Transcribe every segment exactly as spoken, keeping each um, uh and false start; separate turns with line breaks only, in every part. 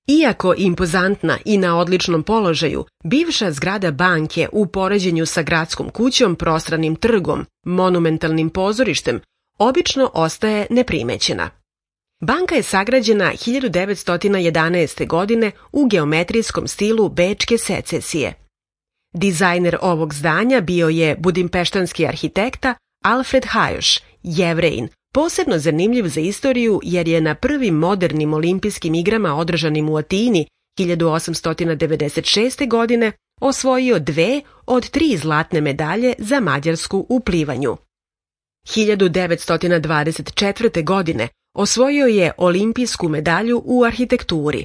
Iako impozantna i na odličnom položaju, bivša zgrada banke u poređenju sa gradskom kućom, prostranim trgom, monumentalnim pozorištem, obično ostaje neprimećena. Banka je sagrađena hiljadu devetsto jedanaeste. godine u geometrijskom stilu bečke secesije. Dizajner ovog zdanja bio je budimpeštanski arhitekta Alfred Hajoš, Jevrejin, posebno zanimljiv za istoriju jer je na prvim modernim olimpijskim igrama održanim u Atini hiljadu osamsto devedeset šeste. godine osvojio dve od tri zlatne medalje za Mađarsku u plivanju. hiljadu devetsto dvadeset četvrte. godine osvojio je olimpijsku medalju u arhitekturi.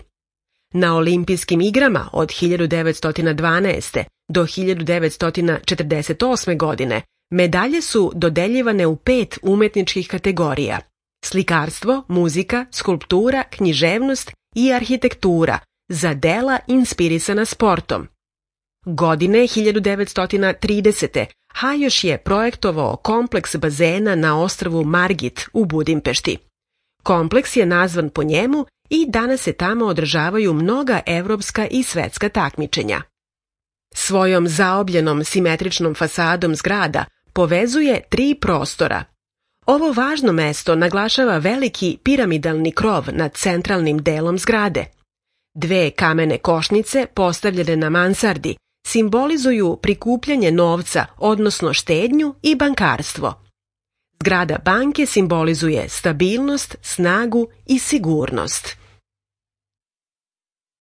Na olimpijskim igrama od hiljadu devetsto dvanaeste. do hiljadu devetsto četrdeset osme. godine medalje su dodeljivane u pet umetničkih kategorija: slikarstvo, muzika, skulptura, književnost i arhitektura za dela inspirisana sportom. Godine hiljadu devetsto tridesete. Hajoš je projektovao kompleks bazena na ostrvu Margit u Budimpešti. Kompleks je nazvan po njemu i danas se tamo održavaju mnoga evropska i svetska takmičenja. Svojom zaobljenom simetričnom fasadom zgrada povezuje tri prostora. Ovo važno mesto naglašava veliki piramidalni krov nad centralnim delom zgrade. Dve kamene košnice postavljene na mansardi simbolizuju prikupljanje novca, odnosno štednju i bankarstvo. Zgrada banke simbolizuje stabilnost, snagu i sigurnost.